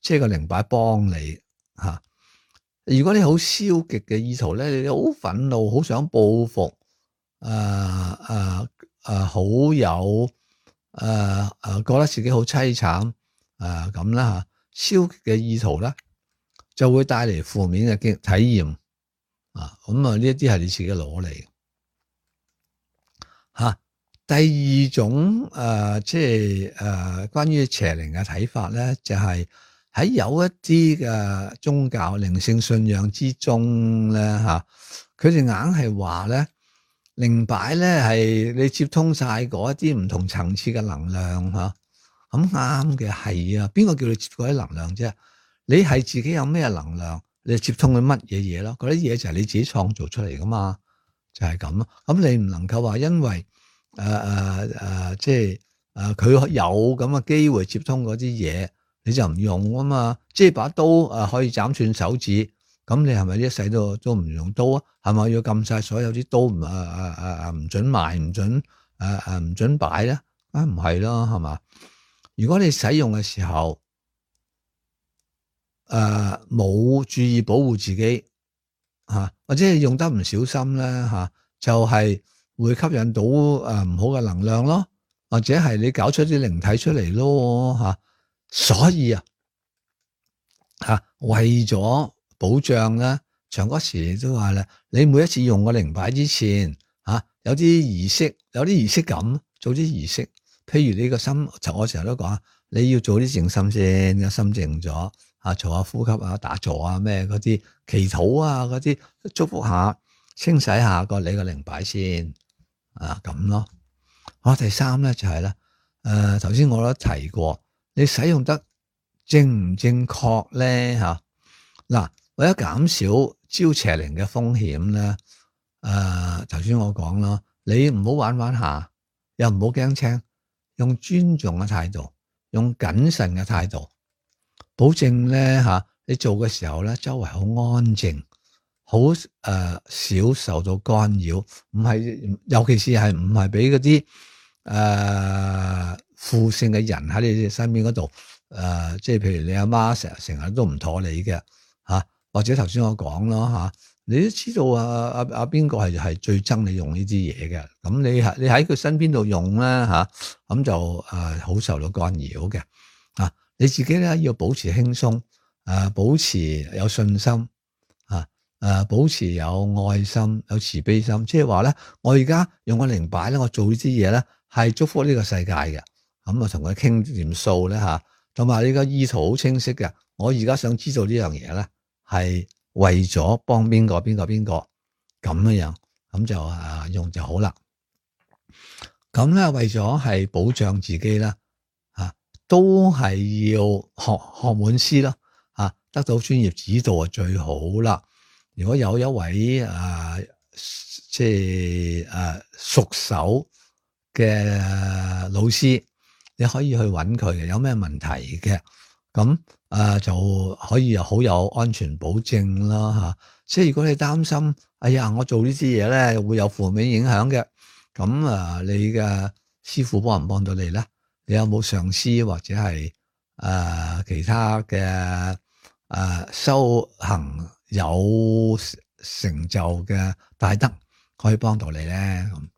即係個靈擺幫你吓。如果你好消極嘅意圖咧，你好憤怒，好想報復，誒誒誒，好有。誒誒、呃呃，覺得自己好淒慘誒咁啦吓，消極嘅意圖咧就會帶嚟負面嘅經體驗啊，咁啊呢一啲係你自己攞嚟吓。第二種誒、呃，即係誒、呃，關於邪靈嘅睇法咧，就係、是、喺有一啲嘅宗教靈性信仰之中咧吓，佢哋硬係話咧。靈擺咧係你接通晒嗰一啲唔同層次嘅能量吓，咁啱嘅係啊，邊個叫你接嗰啲能量啫？你係自己有咩能量，你就接通佢乜嘢嘢咯？嗰啲嘢就係你自己創造出嚟噶嘛，就係咁咯。咁你唔能夠話因為誒誒誒，即係誒佢有咁嘅機會接通嗰啲嘢，你就唔用啊嘛？即係把刀誒、呃、可以斬斷手指。咁你係咪一世都都唔用刀啊？係咪要禁晒所有啲刀唔啊啊啊啊唔准賣，唔准誒誒唔准擺咧？啊唔係咯，係嘛？如果你使用嘅時候誒冇、呃、注意保護自己吓、啊，或者係用得唔小心咧吓、啊，就係會吸引到誒唔好嘅能量咯，或者係你搞出啲靈體出嚟咯吓。所以啊吓為咗保障咧，長嗰時都話咧，你每一次用個靈擺之前吓，有啲儀式，有啲儀式感，做啲儀式。譬如你個心，我成日都講，你要做啲靜心先，個心靜咗啊，做下呼吸啊，打坐啊，咩嗰啲祈禱啊，嗰啲祝福下，清洗下個你個靈擺先啊，咁咯。好，第三咧就係咧，誒頭先我都提過，你使用得正唔正確咧吓？嗱，為咗減少招邪靈嘅風險咧，誒頭先我講咯，你唔好玩玩下，又唔好驚青。用尊重嘅態度，用謹慎嘅態度，保證咧吓，你做嘅時候咧，周圍好安靜，好誒少受到干擾，唔係，尤其是係唔係俾嗰啲誒負性嘅人喺你身邊嗰度，誒、呃，即係譬如你阿媽成日成日都唔妥你嘅吓，或者頭先我講咯吓。你都知道啊啊啊邊個係係最憎你用呢啲嘢嘅，咁你喺你喺佢身邊度用咧吓，咁就誒好受到干擾嘅啊！你自己咧要保持輕鬆，誒保持有信心啊，誒保持有愛心、有慈悲心，即係話咧，我而家用個靈擺咧，我做呢啲嘢咧係祝福呢個世界嘅，咁啊同佢傾掂數咧吓，同埋你個意圖好清晰嘅，我而家想知道呢樣嘢咧係。為咗幫邊個邊個邊個咁樣樣，咁就啊用就好啦。咁咧為咗係保障自己啦，啊都係要學學滿師咯，啊得到專業指導就最好啦。如果有一位啊即係啊熟手嘅老師，你可以去揾佢嘅，有咩問題嘅咁。啊，就可以又好有安全保證啦吓。即係如果你擔心，哎呀，我做呢啲嘢咧會有負面影響嘅，咁啊，你嘅師傅幫唔幫到你咧？你有冇上師或者係誒、呃、其他嘅誒、呃、修行有成就嘅大德可以幫到你咧？咁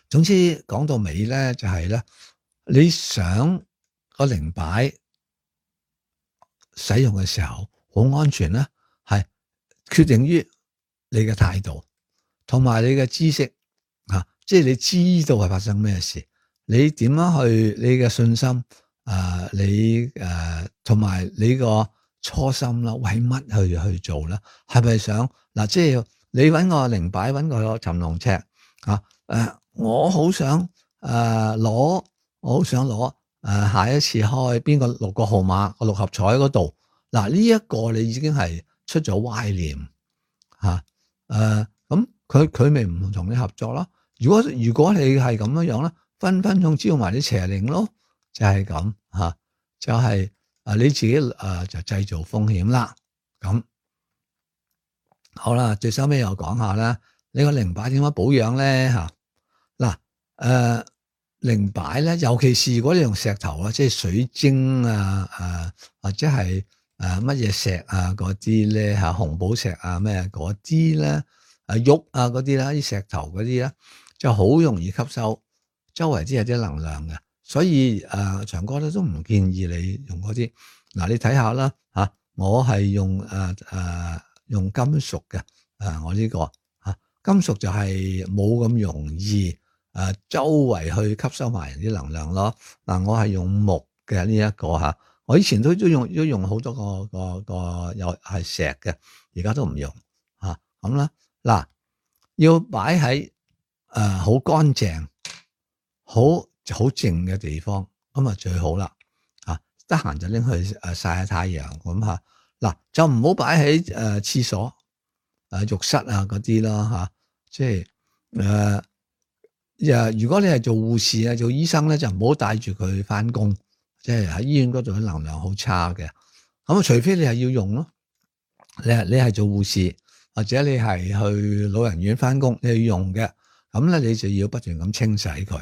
總之講到尾咧，就係、是、咧，你想個靈擺使用嘅時候好安全咧，係決定於你嘅態度同埋你嘅知識啊，即係你知道係發生咩事，你點樣去你嘅信心啊、呃，你誒同埋你個初心啦，為乜去去做咧？係咪想嗱、啊？即係你搵個靈擺，搵個尋龍尺啊？誒、呃，我好想誒攞、呃，我好想攞。誒、呃，下一次開邊個六個號碼個六合彩嗰度，嗱呢一個你已經係出咗歪念吓，誒咁佢佢咪唔同你合作咯？如果如果你係咁樣樣咧，分分鐘招埋啲邪靈咯，就係咁吓，就係、是、誒你自己誒、呃、就製造風險啦。咁好啦，最收尾又講下啦，你個靈擺點樣保養咧吓？嗱誒。呃靈擺咧，尤其是如果你用石頭啊，即係水晶啊，啊或者係誒乜嘢石啊嗰啲咧吓，紅寶石啊咩嗰啲咧，啊玉啊嗰啲啦，啲石頭嗰啲咧，就好容易吸收周圍啲有啲能量嘅，所以誒、呃、長哥咧都唔建議你用嗰啲。嗱你睇下啦吓，我係用誒誒、呃、用金屬嘅，誒、呃、我呢、這個吓、啊、金屬就係冇咁容易。誒、啊，周圍去吸收埋人啲能量咯。嗱、啊，我係用木嘅呢一個吓，我以前都都用都用好多個個個又係石嘅，而家都唔用吓咁啦。嗱、啊，要擺喺誒好乾淨、好好靜嘅地方，咁啊最好啦。啊，得閒就拎去誒曬下太陽咁吓。嗱、啊，就唔好擺喺誒廁所、誒、呃、浴室啊嗰啲啦吓，即係誒。呃如果你係做護士啊、做醫生咧，就唔好帶住佢翻工，即係喺醫院嗰度嘅能量好差嘅。咁啊，除非你係要用咯，你係你係做護士或者你係去老人院翻工，你要用嘅，咁咧你就要不斷咁清洗佢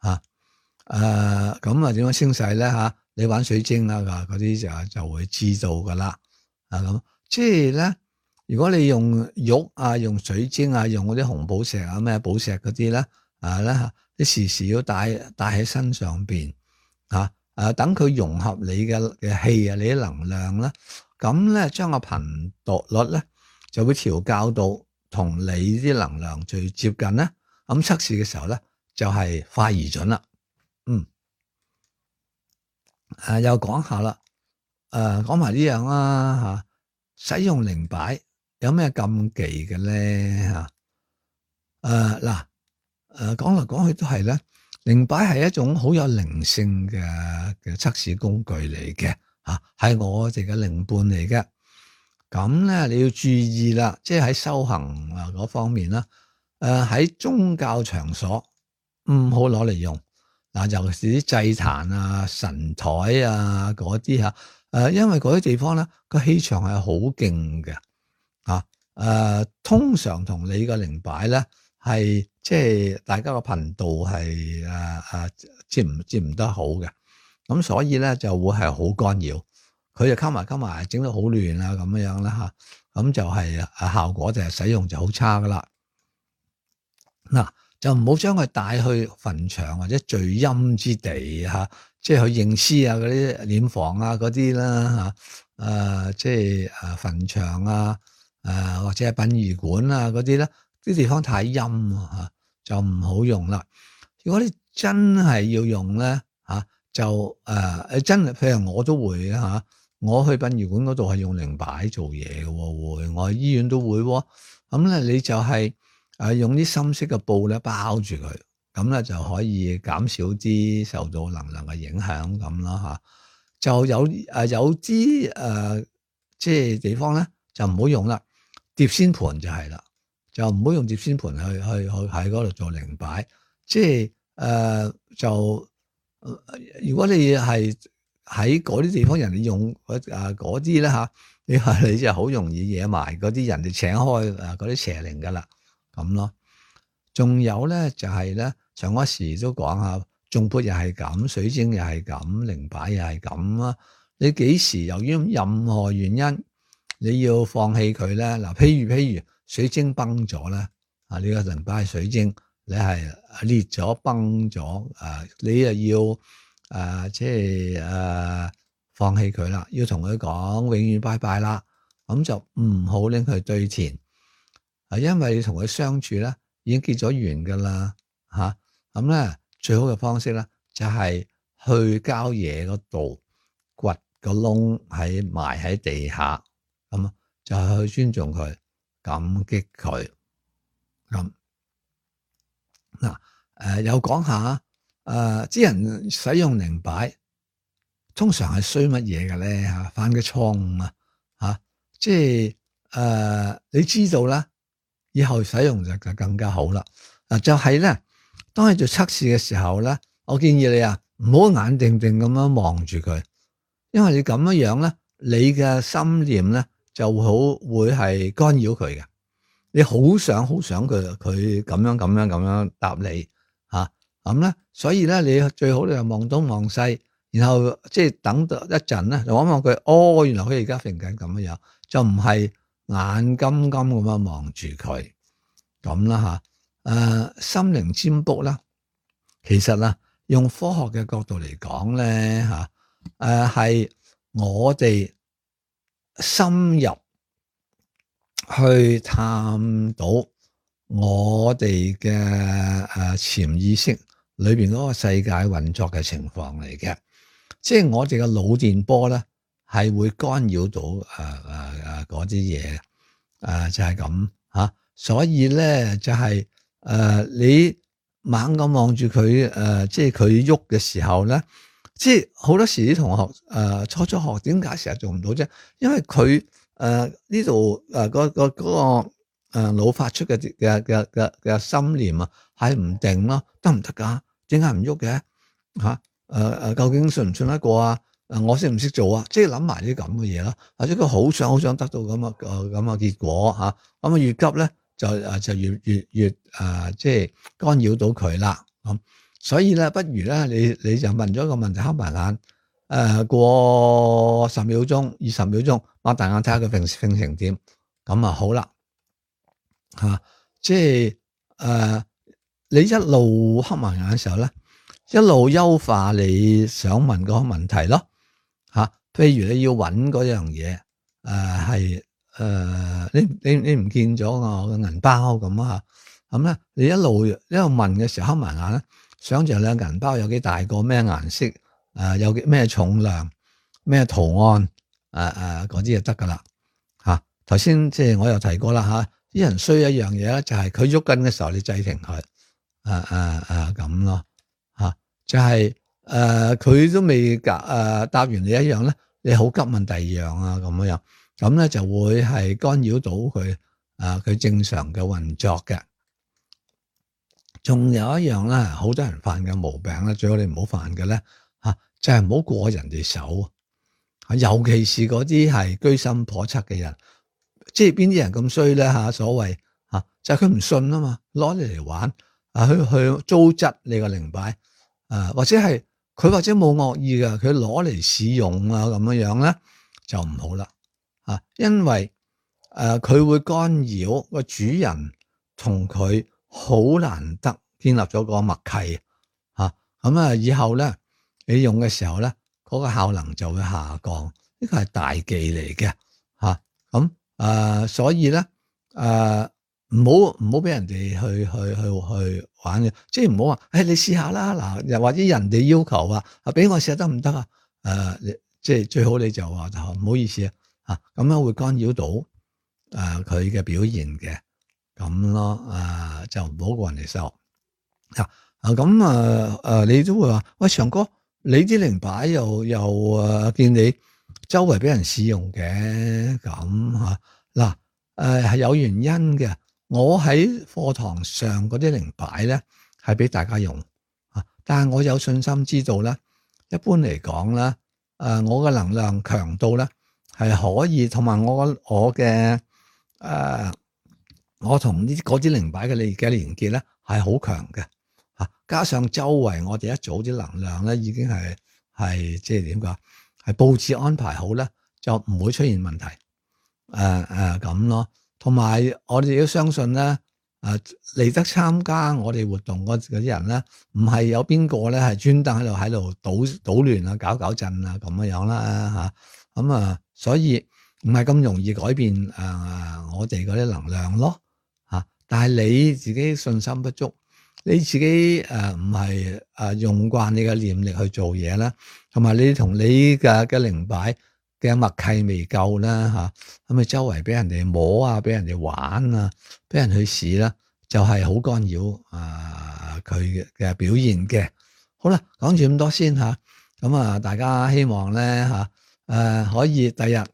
吓。誒，咁啊點樣清洗咧吓？你玩水晶啊嗰啲就就會知道噶啦。啊咁，即係咧如果你用玉啊、用水晶啊、用嗰啲紅寶石啊、咩寶石嗰啲咧，啊咧，你時時要帶帶喺身上邊，啊誒，等佢融合你嘅嘅氣啊，你啲能量啦，咁咧將個頻率咧就會調校到同你啲能量最接近咧，咁測試嘅時候咧就係快而準啦。嗯，誒、啊、又講下啦，誒講埋呢樣啦嚇，使用靈擺有咩禁忌嘅咧嚇？誒嗱誒講嚟講去都係咧，靈擺係一種好有靈性嘅嘅測試工具嚟嘅嚇，係我哋嘅靈伴嚟嘅。咁咧你要注意啦，即係喺修行啊嗰方面啦，誒喺宗教場所唔好攞嚟用。嗱，尤其是啲祭壇啊、神台啊嗰啲嚇，誒，因為嗰啲地方咧個氣場係好勁嘅，啊，誒，通常同你個靈擺咧係即係大家個頻道係誒誒接唔接唔得好嘅，咁所以咧就會係好干擾，佢就溝埋溝埋，整到好亂啊咁樣啦嚇，咁就係誒效果就係使用就好差噶啦，嗱。就唔好將佢帶去墳場或者聚陰之地嚇，即係去認屍啊嗰啲殮房啊嗰啲啦嚇，誒即係誒墳場啊，誒或者係殯儀館啊嗰啲咧，啲地方太陰啊嚇，就唔好用啦。如果你真係要用咧嚇，就誒誒真係，譬如我都會嚇，我去殯儀館嗰度係用靈擺做嘢嘅喎，會我去醫院都會喎，咁咧你就係。誒用啲深色嘅布咧包住佢，咁咧就可以減少啲受到能量嘅影響咁啦嚇。就有誒有啲誒即係地方咧就唔好用啦，碟仙盤就係啦，就唔好用碟仙盤去去去喺嗰度做靈擺。即係誒、呃、就、呃、如果你係喺嗰啲地方人哋用誒嗰啲咧嚇，你話你就好容易惹埋嗰啲人哋請開誒嗰啲邪靈噶啦。咁咯，仲有咧就係咧，上嗰時都講下，頌缽又係咁，水晶又係咁，靈擺又係咁啦。你幾時由於任何原因你要放棄佢咧？嗱，譬如譬如水晶崩咗咧，啊，呢個靈擺係水晶，你係裂咗崩咗，誒，你又要誒，即係誒放棄佢啦，要同佢講永遠拜拜啦，咁就唔好拎佢堆填。啊，因為你同佢相處咧，已經結咗緣噶啦，吓，咁咧最好嘅方式咧就係去郊野嗰度掘個窿喺埋喺地下，咁就係去尊重佢，感激佢。咁嗱，誒又講下，誒啲人使用靈擺，通常係衰乜嘢嘅咧吓？犯嘅錯誤啊，吓，即係誒你知道啦。以後使用就就更加好啦。嗱，就係咧，當你做測試嘅時候咧，我建議你啊，唔好眼定定咁樣望住佢，因為你咁樣樣咧，你嘅心念咧就好會係干擾佢嘅。你好想好想佢佢咁樣咁樣咁樣答你嚇，咁咧，所以咧你最好你就望東望西，然後即係等到一陣咧，就望望佢，哦，原來佢而家揈緊咁樣樣，就唔係。眼金金咁樣望住佢咁啦吓，誒、呃，心靈占卜啦，其實啊，用科學嘅角度嚟講咧吓，誒、呃、係我哋深入去探到我哋嘅誒潛意識裏邊嗰個世界運作嘅情況嚟嘅，即係我哋嘅腦電波咧。係會干擾到誒誒誒嗰啲嘢，誒、呃呃呃、就係咁吓，所以咧就係、是、誒、呃、你猛咁望住佢誒，即係佢喐嘅時候咧，即係好多時啲同學誒、呃、初初學點解成日做唔到啫？因為佢誒呢度誒嗰個嗰個誒腦發出嘅嘅嘅嘅嘅心念啊，係唔定咯，得唔得噶？點解唔喐嘅吓？誒誒，究竟信唔信得過啊？誒，我識唔識做啊？即係諗埋啲咁嘅嘢啦，或者佢好想好想得到咁嘅誒咁嘅結果吓，咁啊越急咧就誒就越越越誒即係干擾到佢啦。咁所以咧，不如咧你你就問咗一個問題，瞌埋眼誒過十秒鐘、二十秒鐘，擘大眼睇下佢揈揈成點，咁啊好啦，吓、啊，即係誒、呃，你一路黑埋眼嘅時候咧，一路優化你想問嗰個問題咯，吓、啊，譬如你要揾嗰樣嘢，誒係誒，你你你唔見咗我嘅銀包咁啊，咁咧你一路一路問嘅時候黑埋眼咧，想象你嘅銀包有幾大個，咩顏色，誒、呃、有幾咩重量，咩圖案，誒誒嗰啲就得噶啦。頭先即係我又提過啦吓，啲人需要一樣嘢咧，就係佢喐緊嘅時候，你制停佢，誒誒誒咁咯吓，就係誒佢都未答誒答完你一樣咧，你好急問第二樣啊咁樣，咁咧就會係干擾到佢誒佢正常嘅運作嘅。仲有一樣咧，好多人犯嘅毛病咧，最好你唔好犯嘅咧吓，就係唔好過人哋手，尤其是嗰啲係居心叵測嘅人。即係邊啲人咁衰咧吓？所謂吓就係佢唔信啊嘛，攞你嚟玩啊，去去糟質你個靈擺啊，或者係佢或者冇惡意嘅，佢攞嚟使用啊咁樣樣咧就唔好啦啊，因為誒佢、呃、會干擾個主人同佢好難得建立咗個默契吓，咁啊以後咧你用嘅時候咧嗰、那個效能就會下降，呢個係大忌嚟嘅吓咁。誒、呃，所以咧，誒，唔好唔好俾人哋去去去去玩嘅，即係唔好話，誒、哎，你試下啦，嗱，又或者人哋要求話，啊，俾我試下得唔得啊？誒、呃，即係最好你就話，唔好意思啊，啊，咁樣會干擾到誒佢嘅表現嘅，咁咯，誒、呃，就唔好過人哋手。啊，啊，咁啊，誒，你都會話，喂，祥哥，你啲靈擺又又誒見你。周圍俾人試用嘅咁吓嗱，誒係有原因嘅。我喺課堂上嗰啲靈擺咧係俾大家用啊，但係我有信心知道咧，一般嚟講咧，誒我嘅能量強度咧係可以，同埋我我嘅誒我同呢嗰啲靈擺嘅連嘅連結咧係好強嘅吓，加上周圍我哋一組啲能量咧已經係係即係點講？係佈置安排好咧，就唔會出現問題。誒誒咁咯，同埋我哋都相信咧，誒、呃、嚟得參加我哋活動嗰啲人咧，唔係有邊個咧係專登喺度喺度搗搗亂啊、搞搞震啊咁樣樣啦嚇。咁啊，所以唔係咁容易改變誒、呃、我哋嗰啲能量咯嚇、啊。但係你自己信心不足。你自己誒唔係誒用慣你嘅念力去做嘢啦，同埋你同你嘅嘅靈擺嘅默契未夠啦嚇，咁你周圍俾人哋摸啊，俾人哋玩啊，俾人去試啦，就係好干擾啊佢嘅嘅表現嘅。好啦，講住咁多先嚇，咁啊大家希望咧嚇誒可以第日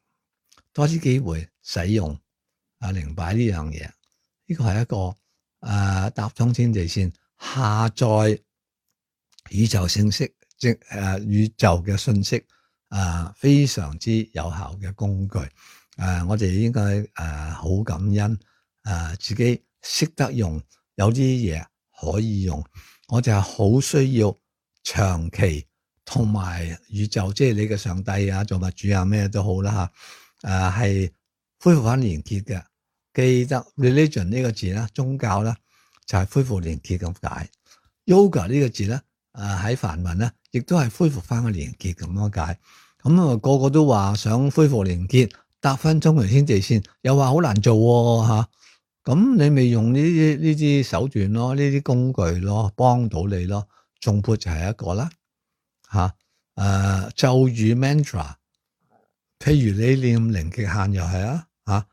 多啲機會使用啊靈擺呢樣嘢，呢個係一個誒搭通天地線。下載宇宙信息，即誒、呃、宇宙嘅信息，啊、呃、非常之有效嘅工具。誒、呃，我哋應該誒好感恩，誒、呃、自己識得用，有啲嘢可以用。我哋係好需要長期同埋宇宙，即係你嘅上帝啊、造物主啊咩都好啦吓，誒、啊、係恢復翻連結嘅。記得 religion 呢個字啦，宗教啦。就係恢復連結咁解 ，yoga 呢個字咧，誒喺梵文咧，亦都係恢復翻個連結咁樣解。咁啊，個個都話想恢復連結，搭翻中條天地線，又話好難做喎嚇。咁你咪用呢啲呢啲手段咯，呢啲工具咯，幫到你咯。頌缽就係一個啦嚇。誒咒語 mantra，譬如你念零極限又係啊嚇。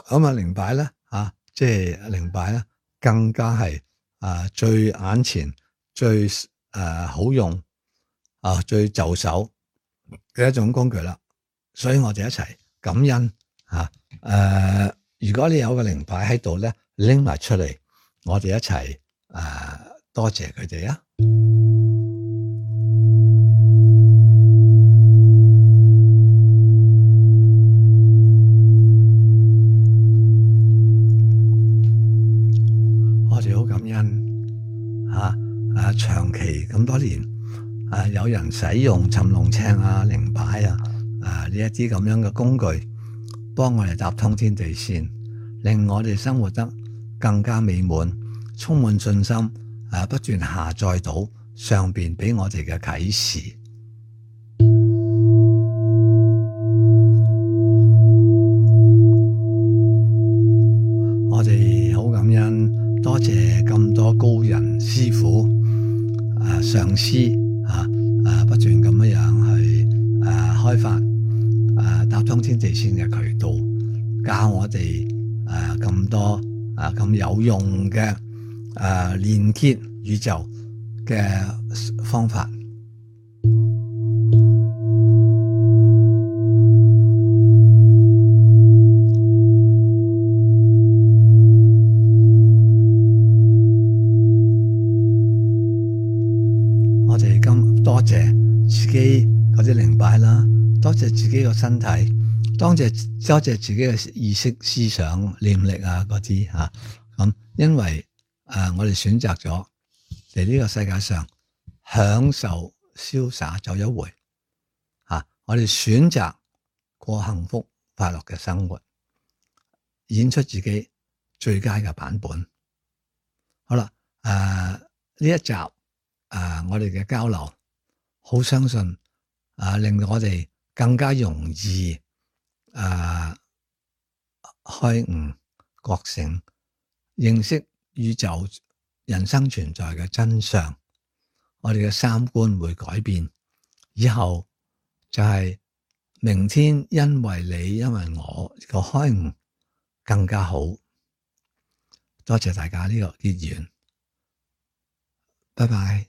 咁啊靈擺咧嚇，即係靈擺咧。更加係啊最眼前最誒、呃、好用啊最就手嘅一種工具啦，所以我哋一齊感恩吓誒、啊呃，如果你有個靈擺喺度咧，拎埋出嚟，我哋一齊誒、啊、多謝佢哋啊！吓啊！長期咁多年啊，有人使用尋龍尺啊、靈擺啊、啊呢一啲咁樣嘅工具，幫我哋搭通天地線，令我哋生活得更加美滿，充滿信心，誒不斷下載到上邊俾我哋嘅啟示。我哋好感恩，多謝咁多高人師傅、誒上師啊誒不斷咁樣樣去誒開發誒搭通天地線嘅渠道，教我哋誒咁多誒咁有用嘅誒連結宇宙嘅方法。我哋咁多謝自己嗰啲靈擺啦，多謝自己個身體，多謝多謝自己嘅意識、思想、念力啊嗰啲吓。咁因為誒我哋選擇咗嚟呢個世界上享受瀟灑走一回吓，我哋選擇過幸福快樂嘅生活，演出自己最佳嘅版本。好啦，誒呢一集。啊！我哋嘅交流，好相信啊，令到我哋更加容易啊開悟、覺醒，認識宇宙、人生存在嘅真相。我哋嘅三觀會改變，以後就係明天，因為你，因為我個開悟更加好。多謝大家呢個結緣，拜拜。